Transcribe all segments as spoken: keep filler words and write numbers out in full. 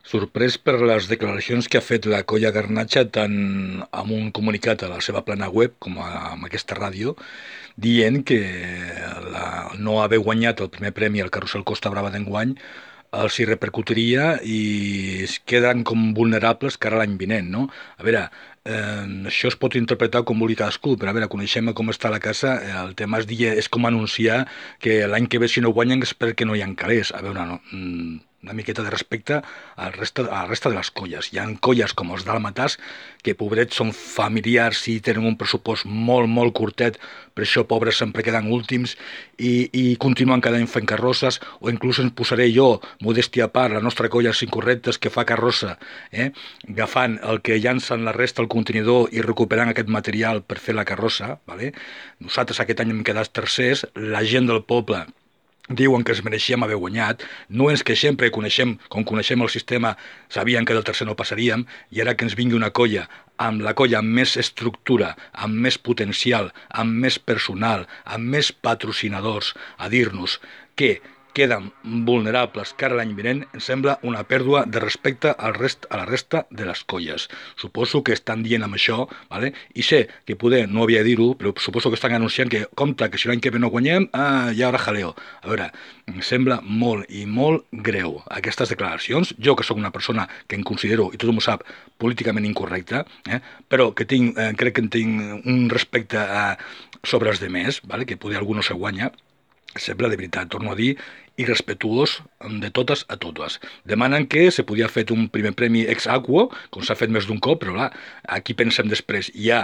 Sorprès per les declaracions que ha fet la Colla Garnatxa tant amb un comunicat a la seva plana web com a, amb aquesta ràdio, dient que la, no haver guanyat el primer premi al Carrusel Costa Brava d'enguany els hi repercutiria i es queden com vulnerables cara a l'any vinent, no? A veure, eh, això es pot interpretar com vulgui cadascú, però a veure, coneixem com està la casa, eh, el tema és, dir, és com anunciar que l'any que ve si no guanyen és perquè no hi ha calés. A veure, no, mm, una miqueta de respecte al resta, a la resta de les colles. Hi ha colles com els dàlmates que, pobrets, són familiars i tenen un pressupost molt, molt curtet, per això, pobres, sempre queden últims i, i continuen cada any fent carrosses, o inclús ens posaré jo, modèstia a part, la nostra colla Cinc Correctes, que fa carrossa, eh? agafant el que llancen la resta al contenidor i recuperant aquest material per fer la carrossa. Vale? Nosaltres aquest any hem quedat tercers, la gent del poble diuen que es mereixíem haver guanyat, no ens queixem perquè coneixem, com coneixem el sistema, sabien que del tercer no passaríem, i ara que ens vingui una colla amb la colla amb més estructura, amb més potencial, amb més personal, amb més patrocinadors, a dir-nos que queden vulnerables cara a l'any vinent, em sembla una pèrdua de respecte al rest, a la resta de les colles. Suposo que estan dient amb això, vale? I sé que poder no havia de dir-ho, però suposo que estan anunciant que, compte, que si l'any que ve no guanyem, ah, hi haurà jaleo. A veure, em sembla molt i molt greu aquestes declaracions. Jo, que sóc una persona que em considero, i tothom ho sap, políticament incorrecta, eh? però que tinc, eh, crec que en tinc un respecte eh, sobre els demés, vale? Que poder algú no se guanya, sembla, de veritat, torno a dir, irrespetuós de totes a totes. Demanen que se podia fer un primer premi ex aequo, com s'ha fet més d'un cop, però clar, aquí pensem després, hi ha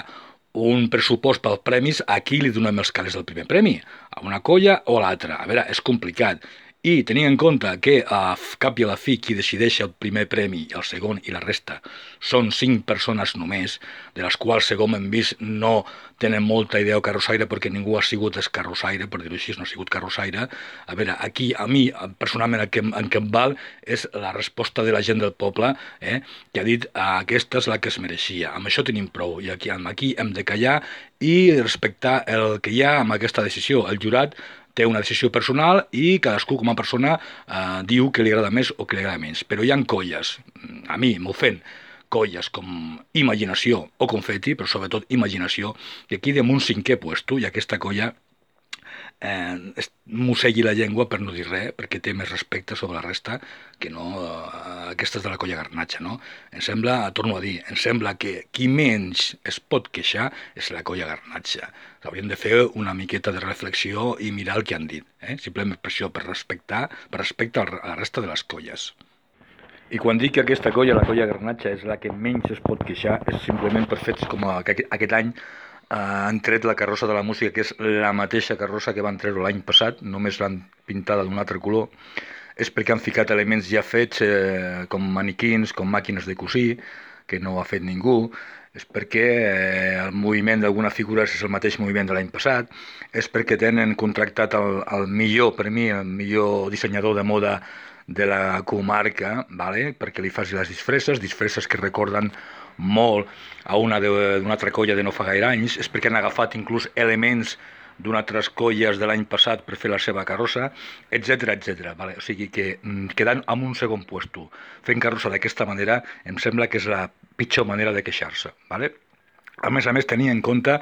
un pressupost pels premis, a qui li donem els calés del primer premi? A una colla o a l'altra? A veure, és complicat. I tenint en compte que a cap i a la fi qui decideix el primer premi, el segon i la resta són cinc persones només, de les quals, segons hem vist, no tenen molta idea o carrossaire perquè ningú ha sigut escarrossaire, per dir-ho així, no ha sigut carrossaire. A veure, aquí a mi, personalment, el que, el que em val és la resposta de la gent del poble, eh, que ha dit ah, aquesta és la que es mereixia. Amb això tenim prou, i aquí, aquí hem de callar i respectar el que hi ha amb aquesta decisió. El jurat té una decisió personal i cadascú com a persona eh, diu que li agrada més o que li agrada menys. Però hi ha colles, a mi m'ofèn, colles com Imaginació o Confeti, però sobretot Imaginació, que aquí un cinquè puesto i aquesta colla eh, mossegui la llengua per no dir res, perquè té més respecte sobre la resta que no eh, aquestes de la colla Garnatxa, no? Em sembla, torno a dir, em sembla que qui menys es pot queixar és la colla Garnatxa. Hauríem de fer una miqueta de reflexió i mirar el que han dit, eh? Simplement per això, per respectar, per respecte a la resta de les colles. I quan dic que aquesta colla, la colla Garnatxa, és la que menys es pot queixar, és simplement per fets com que aquest any eh, han tret la carrossa de la música, que és la mateixa carrossa que van treure l'any passat, només l'han pintada d'un altre color, és perquè han ficat elements ja fets eh, com maniquins, com màquines de cosir, que no ha fet ningú, és perquè eh, el moviment d'alguna figura és el mateix moviment de l'any passat, és perquè tenen contractat el, el millor, per mi, el millor dissenyador de moda de la comarca, vale? Perquè li faci les disfresses, disfresses que recorden molt a una d'una altra colla de no fa gaire anys, és perquè han agafat inclús elements d'unes altres colles de l'any passat per fer la seva carrossa, etcètera, etcètera. Vale? O sigui que quedant en un segon puesto, fent carrossa d'aquesta manera, em sembla que és la pitjor manera de queixar-se. Vale? A més a més, tenir en compte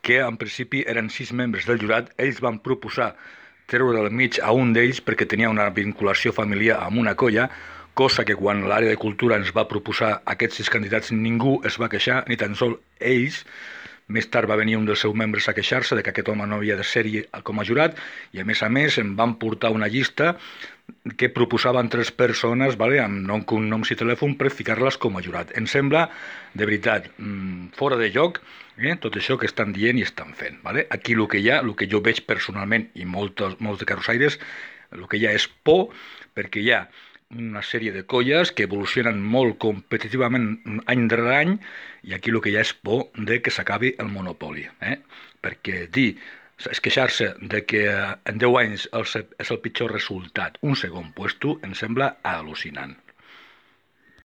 que en principi eren sis membres del jurat, ells van proposar treure del mig a un d'ells perquè tenia una vinculació familiar amb una colla, cosa que quan l'àrea de cultura ens va proposar aquests sis candidats ningú es va queixar, ni tan sols ells. Més tard va venir un dels seus membres a queixar-se de que aquest home no havia de ser-hi com a jurat i a més a més em van portar una llista que proposaven tres persones, vale, amb nom, cognoms i telèfon per ficar-les com a jurat. Em sembla, de veritat, fora de lloc eh, tot això que estan dient i estan fent. Vale? Aquí el que hi ha, el que jo veig personalment i molts, molts de carrossaires, el que hi ha és por perquè hi ha una sèrie de colles que evolucionen molt competitivament any darrere any i aquí el que hi ha és por de que s'acabi el monopoli. Eh? Perquè dir, és queixar-se de que en deu anys és el pitjor resultat, un segon puesto, em sembla al·lucinant.